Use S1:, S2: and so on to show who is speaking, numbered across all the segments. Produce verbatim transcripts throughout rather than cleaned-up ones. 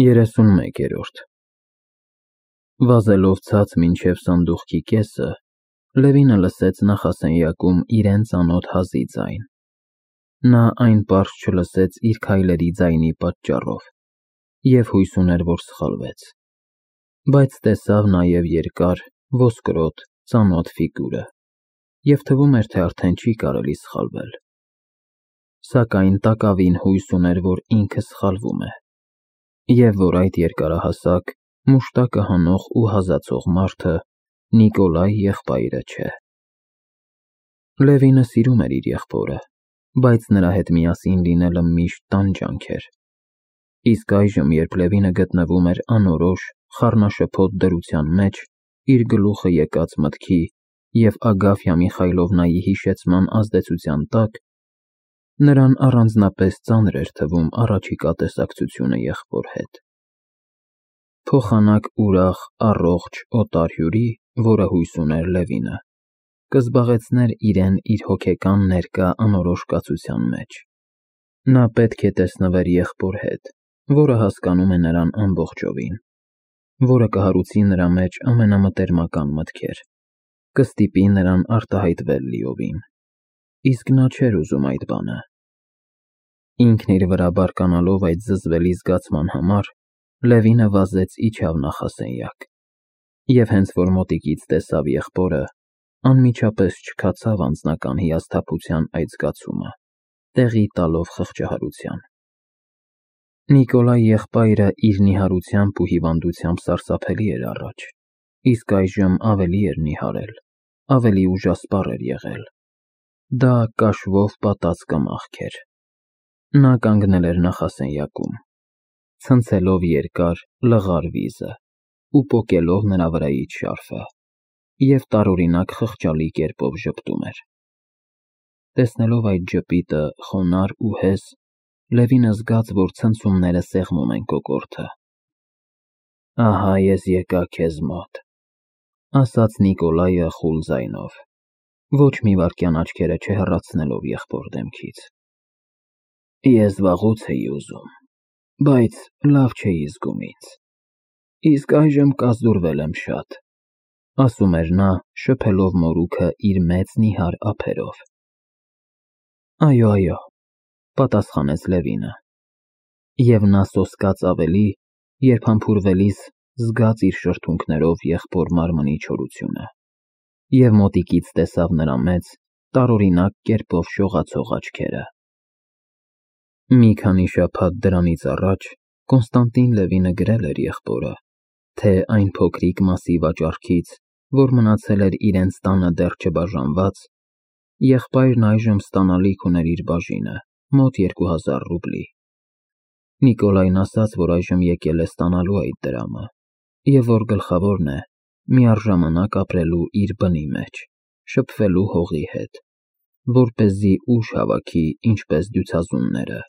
S1: երեսունմեկերորդ Վազելով ցած մինչև սանդուղքի կեսը, Լևինը լսեց նախասենյակում իրեն ծանոթ հազի ձայն. նա այն պարզ չլսեց իր քայլերի ձայնի պատճառով և հույս ուներ, որ սխալվեց, բայց տեսավ նաև երկար, ոսկրոտ, ծանոթ ֆիգուրը և թվում էր, թե արդեն չի կարելի սխալվել, սակայն տակավին հույս ուներ, որ ինքը սխալվում է և որ այդ երկարահասակ, մուշտակը հանող ու հազացող մարդը Նիկոլայ եղբայրը չէ։ Լևինը սիրում էր իր եղբորը, բայց նրա հետ միասին լինելը միշտ տանջանք էր, իսկ այժմ, երբ Լևինը գտնվում էր անորոշ, խառնաշփոթ դրության մեջ, իր գլուխը եկած մտքի և Ագաֆյա Միխայլովնայի հիշեցման ազդեցության տակ, նրան առանձնապես ծանր էր թվում առաջիկա տեսակցությունը եղբոր հետ։ Փոխանակ ուրախ, առողջ, օտար հյուրի, որը հույս ուներ Լևինը, կզբաղեցներ իրեն իր հոգեկան ներկա անորոշ կացության մեջ։ Նա պետք է տեսնվեր եղբոր հետ, որը հասկանում է նրան ամբողջովին, որը կհարուցի նրա մեջ ամենամտերմական մտքեր, կստիպի նրան արտահայտվել լիովին, իսկ նա չէր ուզում այդ բանը։ Ինքն իր վրա բարկանալով այդ զզվելի զգացման համար, Լևինը վազեց իջավ նախասենյակ և հենց որ մոտիկից տեսավ եղբորը, անմիջապես չքացավ անձնական հիասթափության այդ զգացումը, տեղի տալով խղճահարության։ Նիկոլայ եղբայրը իր նիհարությամբ ու հիվանդությամբ սարսափելի էր առաջ, իսկ այժմ ավելի էր նիհարել, ավելի ուժասպառ էր եղել։ Դա կաշվով պատած կմախք էր։ Նա կանգնել էր նախասենյակում, ցնցելով երկար, լղար վիզը ու պոկելով նրա վրայից շարֆը և տարօրինակ խղճալի կերպով ժպտում էր։ Տեսնելով այդ ժպիտը, խոնարհ ու հեզ, Լևինը զգաց, որ ցնցումները սեղմում են կոկորդը։ Ահա ես եկա քեզ մոտ, ասաց Նիկոլայը խուլ ձայնով, ոչ մի վայրկյան աչքերը չհեռացնելով եղբոր դեմքից։ Ես վաղուց էի ուզում, բայց լավ չէի զգում ինձ, իսկ այժմ կազդուրվել եմ շատ, ասում էր նա, շփելով մորուքը իր մեծ նիհար ափերով։ Այո, այո, պատասխանեց Լևինը, և նա սոսկաց ավելի, երբ համբուրվելիս զգաց իր շրթունքներով եղբոր մարմնի չորությունը և մոտիկից տեսավ նրա մեծ, տարօրինակ կերպով շողացող աչքերը։ Մի քանի շաբաթ դրանից առաջ Կոնստանտին Լևինը գրել էր եղբորը, թե այն փոքրիկ մասի վաճառքից, որ մնացել էր իրենց տանը դեռ չբաժանված, եղբայրն այժմ ստանալիք ուներ իր բաժինը, մոտ երկու հազար ռուբլի։ Նիկոլայն ասաց, որ այժմ եկել է ստանալու այդ դրամը և որ գլխավորն է միառժամանակ ապրելու իր բնի մեջ, շփվելու հողի հետ, որպեսզի ուժ հավաքի, ինչպես դյուցազունները,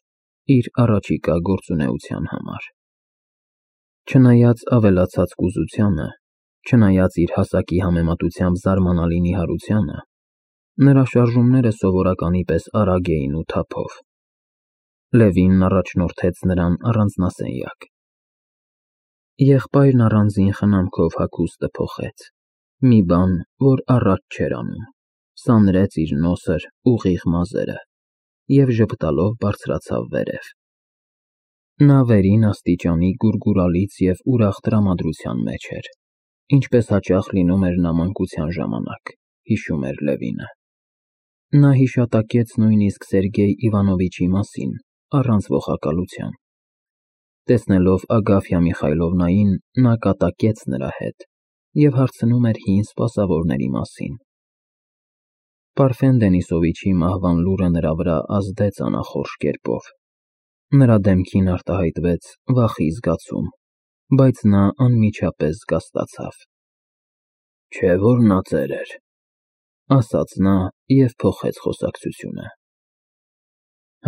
S1: իր առաջիկա գործունեության համար։ Չնայած ավելացած կուզությանը, չնայած իր հասակի համեմատությամբ զարմանալի նիհարությանը, նրա շարժումները սովորականի պես արագ էին ու թափով։ Լևինն առաջնորդեց նրան առանձնասենյակ։ Եղբայրն առանձին խնամքով հագուստը փոխեց, մի բան, որ առաջ չէր անում, սանրեց իր նոսր, ուղիղ մազերը և ժպտալով բարձրացավ վերև։ Նա վերին աստիճանի գուրգուրալից և ուրախ տրամադրության մեջ էր, ինչպես հաճախ լինում էր նա մանկության ժամանակ, հիշում էր Լևինը։ Նա հիշատակեց նույնիսկ Սերգեյ Իվանովիչի մասին, առանց ողակալության։ Տեսնելով Ագաֆյա Միխայլովնային, նա կատակեց նրա հետ և հարցնում էր հին սպասավորների մասին։ Պարֆեն Դենիսովիչի մահվան լուրը նրա վրա ազդեց անախորժ կերպով։ Նրա դեմքին արտահայտվեց վախի զգացում, բայց նա անմիջապես զգաստացավ։ Չէ՞ որ նա ծեր էր, ասաց նա և փոխեց խոսակցությունը։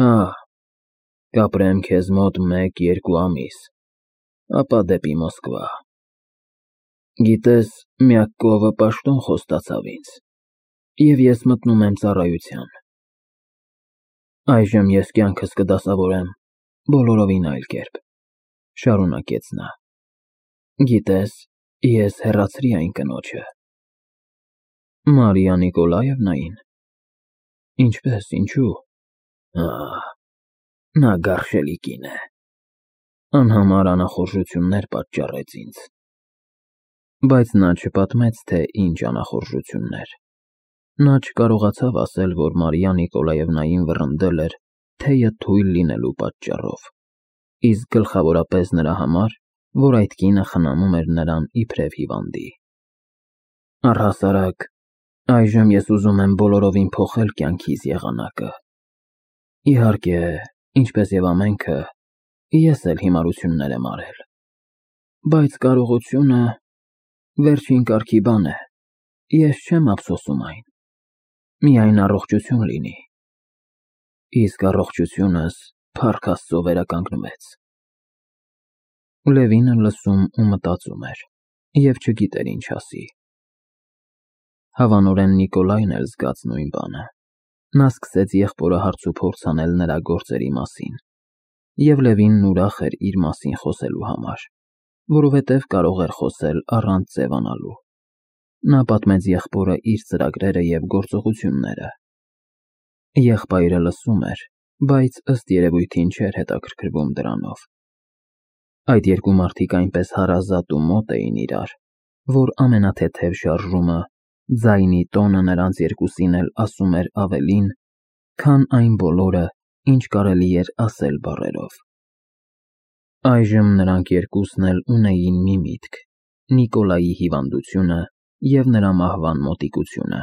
S1: Հա, կապրեմ քեզ մոտ մեկ֊երկու ամիս, ապա դեպի Մոսկվա։ Գիտես, Մյակկովը պաշտոն խոստացավ ինձ, և ես մտնում եմ ծառայության։ Այժմ ես կյանքս կդասավորեմ բոլորովին այլ կերպ։ Շարունակեց նա։ Գիտես, ես հեռացրի այն կնոջը։ Մարիա Նիկոլաևնային։ Ինչպես, ինչու։ Ահ, նա գարշելի կին է։ Անհամար անախորժություններ պատճառեց ինձ։ Բայց նա չպատմեց, թե ինչ անախորժություններ։ Նա չկարողացավ ասել, որ Մարիա Նիկոլաևնային վռնդել էր թեյը թույլ լինելու պատճառով, իսկ գլխավորապես նրա համար, որ այդ կինը խնամում էր նրան իբրև հիվանդի։ Առհասարակ, այժմ ես ուզում եմ բոլորովին փոխել կյանքիս եղանակը։ Իհարկե, ինչպես եւ ամենքը, ես էլ հիմարություններ եմ արել։ Բայց կարողությունը վերջին կարգի բան է։ Ես չեմ ափսոսում այն։ Միայն առողջություն լինի։ Իսկ առողջությունս փառք Աստծո վերականգնվեց։ Լևինը լսում ու մտածում էր և չգիտեր ինչ ասի։ Հավանորեն Նիկոլայն էլ զգաց նույն բանը։ Նա սկսեց եղբորը հարցուփորձ անել նրա գործերի մասին, և Լևինն ուրախ էր իր մասին խոսելու համար, որովհետև կարող էր խոսել առանց ձևանալու։ Նա պատմեց եղբորը իր ծրագրերը և գործողությունները։ Եղբայրը լսում էր, բայց ըստ երևույթին չէր հետաքրքրվում դրանով։ Այդ երկու մարդիկ այնպես հարազատ ու մոտ էին իրար, որ ամենաթեթև շարժումը, ձայնի տոնը նրանց երկուսին էլ ասում էր ավելին, քան այն բոլորը, ինչ կարելի էր ասել բառերով։ Այժմ նրանք երկուսն էլ ունեին մի միտք՝ Նիկոլայի հիվանդությունը և նրա մահվան մոտիկությունը,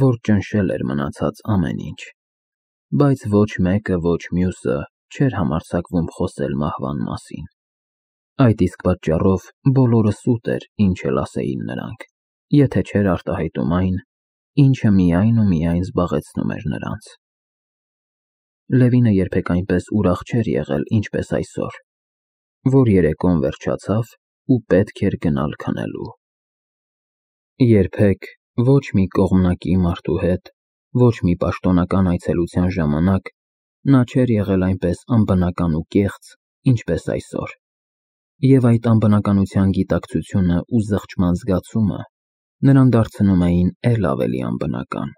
S1: որ ճնշել էր մնացած ամեն ինչ, բայց ոչ մեկը, ոչ մյուսը չէր համարձակվում խոսել մահվան մասին։ Այդ իսկ պատճառով բոլորը սուտ էր, ինչ էլ ասեին նրանք, եթե չէր արտահայտում այն, ինչը միայն ու միայն զբաղեցնում էր նրանց։ Լևինը երբեք այնպես ուրախ չէր եղել, ինչպես այսօր, որ երեկոն վերջացավ ու պետք էր գնալ քնելու։ Երբեք ոչ մի կողմնակի մարդու հետ, ոչ մի պաշտոնական այցելության ժամանակ նա չէր եղել այնպես անբնական ու կեղծ, ինչպես այսօր, և այդ անբնականության գիտակցությունը ու զղջման զգացումը նրան դարձնում էին էլ ավելի անբնական։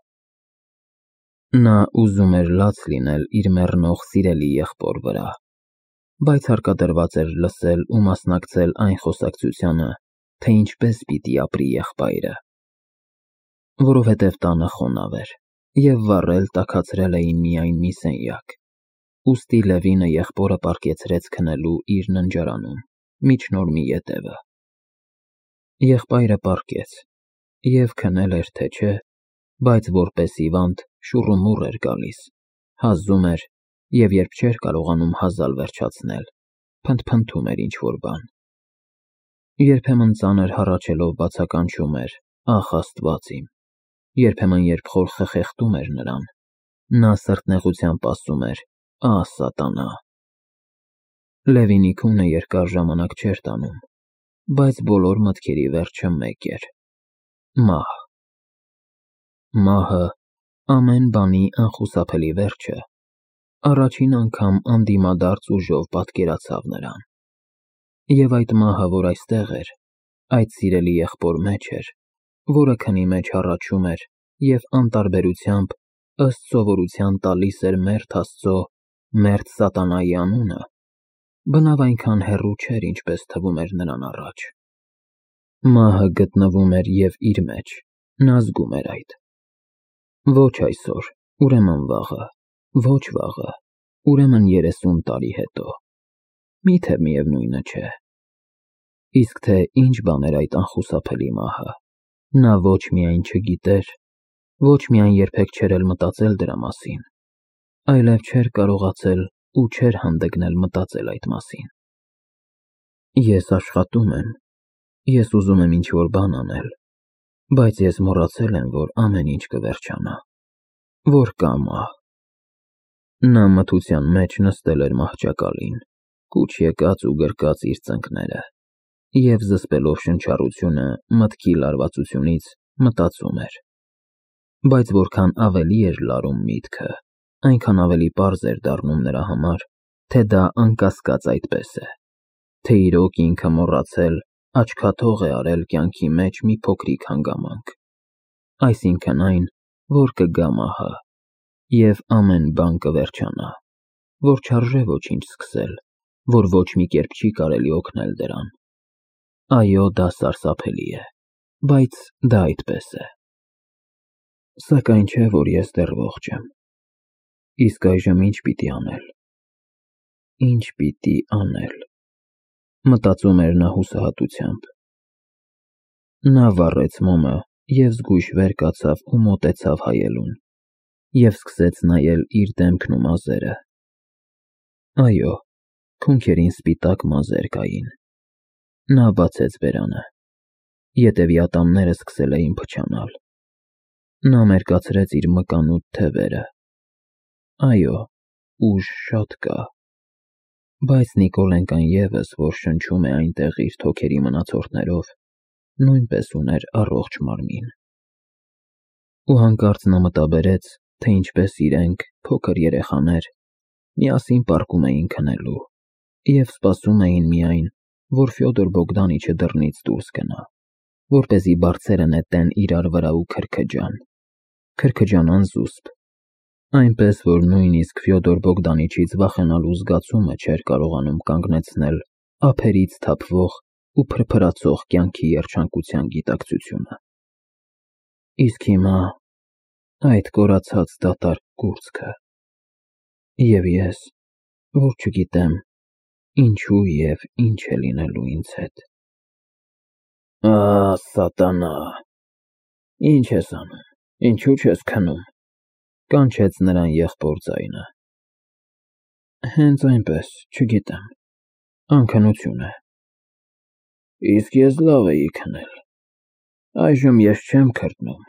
S1: Նա ուզում էր լաց լինել իր մեռնող սիրելի եղբոր վրա, բայց հարկադրված էր լսել ու մասնակցել այն խոսակցությանը, թե ինչպես պիտի ապրի եղբայրը։ Որովհետև տանը խոնավ էր, և վառել տաքացրել էին միայն մի սենյակ, ուստի Լևինը եղբորը պառկեցրեց քնելու իր ննջարանում, միջնորմի ետևը։ Եղբայրը պառկեց, և քնել էր, թե չէ, բայց որպես հիվանդ շուռումուռ էր գալիս, հազում էր, և երբ չէր կարողանում հազալ վերջացնել, փնթփնթում էր ինչ-որ բան։ Երբեմն ծանր հառաչելով բացականչում էր. «Ախ, Աստված իմ», երբեմն երբ խոր խխեղդում էր նրան, նա սրտնեղությամբ ասում էր. «Ահ, սատանա»։ Լևինի քունը երկար ժամանակ չէր տանում, բայց բոլոր մտքերի վերջը մեկ էր՝ մահ։ Մահը, ամեն բանի անխուսափելի վերջը, առաջին անգամ անդիմադարձ ուժով պատկերացավ նրան։ Եվ այդ մահը, որ այստեղ էր, այդ սիրելի եղբոր մեջ էր, որը քնի մեջ հառաչում էր և անտարբերությամբ, ըստ սովորության տալիս էր մերթ Աստծո, մերթ սատանայի անունը, բնավ այնքան հեռու չէր, ինչպես թվում էր նրան առաջ։ Մահը գտնվում էր և իր մեջ, նա զգում էր այդ։ Ոչ այսօր, ուրեմն վաղը, ոչ վաղը, ուրեմն երեսուն տարի հետո, միթե միևնույնը չէ։ Իսկ թե ինչ բան էր այդ անխուսափելի մահը, նա ոչ միայն չգիտեր, ոչ միայն երբեք չէր էլ մտածել դրա մասին, այլև չէր կարողացել ու չէր հանդգնել մտածել այդ մասին։ Ես աշխատում եմ, ես ուզում եմ ինչ-որ բան անել, բայց ես մոռացել եմ, որ ամեն ինչ կվերջանա, որ կա մահ։ Նա մթության մեջ նստել էր մահճակալին, կուչ եկած ու գրկած իր ծնկները, և զսպելով շնչառությունը մտքի լարվածությունից մտածում էր։ Բայց որքան ավելի էր լարում միտքը, այնքան ավելի պարզ էր դառնում նրա համար, թե դա անկասկած այդպես է։ թե իրոք ինքը մոռացել, աչքաթող է արել կյանքի մեջ մի փոքրիկ հանգամանք, այսինքն այն, որ կգա մահը, և ամեն բան կվերջանա, որ չարժե ոչինչ սկսել, որ ոչ մի կերպ չի կարելի օգնել դրան։ Այո, դա սարսափելի է, բայց դա այդպես է։ Սակայն չէ, որ ես դեռ ողջ եմ։ Իսկ այժմ ինչ պիտի անել։ Ինչ պիտի անել, մտածում էր նա հուսահատությամբ։ Նա վառեց մոմը և զգույշ վեր կացավ ու մոտեցավ հայելուն, և սկսեց նայել իր դեմքն ու մազերը։ Այո, քունքերին սպիտակ մազեր կային։ Նա բացեց բերանը։ Ետևի ատամները սկսել էին փչանալ։ Նա մերկացրեց իր մկանուտ թևերը։ Այո, ուժ շատ կա։ Բայց Նիկոլենկան ևս, որ շնչում է այնտեղ իր թոքերի մնացորդներով, նույնպես ուներ առողջ մարմին։ Ու հանկարծ նա մտաբերեց, թե ինչպես իրենք, փոքր երեխաներ, միասին պառկում էին քնելու և սպասում էին միայն, որ Ֆյոդոր Բոգդանիչը դռնից դուրս գնա, որպեսզի բարձերը նետեն իրար վրա ու քրքջան, քրքջանան զուսպ, այնպես, որ նույնիսկ Ֆյոդոր Բոգդանիչից վախենալու զգացումը չէր կարողանում կանգնեցնել ափերից թափվող ու փրփրացող կյանքի երջանկության գիտակցությունը։ Իսկ հիմա այդ կորացած դատարկ կուրծքը, և ես, որ չգիտեմ ինչու և ինչ է լինելու ինձ հետ։ Ահ, սատանա, ինչ ես անում, ինչու չես քնում, կանչեց նրան եղբոր ձայնը։ Հենց այնպես, չգիտեմ, անքնություն է։ Իսկ ես լավ էի քնել, այժմ ես չեմ քրտնում,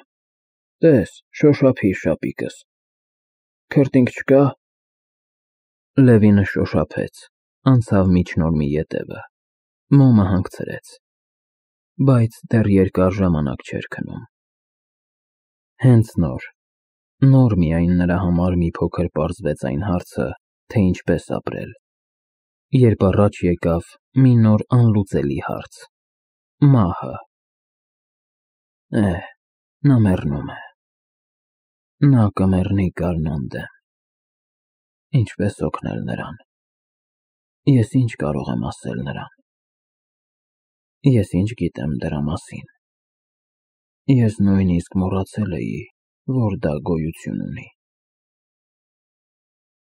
S1: տես, շոշափիր շապիկս, քրտինք չկա։ Լևինը շոշափեց, անցավ միջնորմի ետևը, մոմը հանգցրեց, բայց դեռ երկար ժամանակ չէր քնում։ Հենց նոր, նոր միայն նրա համար մի փոքր պարզվեց այն հարցը, թե ինչպես ապրել, երբ առաջ եկավ մի նոր անլուծելի հարց՝ մահը։ Էհ, նա մեռնում է։ Նա կմեռնի գարնան դեմ։ Ինչպես օգնել նրան։ Ես ինչ կարող եմ ասել նրան։ Ես ինչ գիտեմ դրա մասին։ Ես նույնիսկ մոռացել էի, որ դա գոյություն ունի։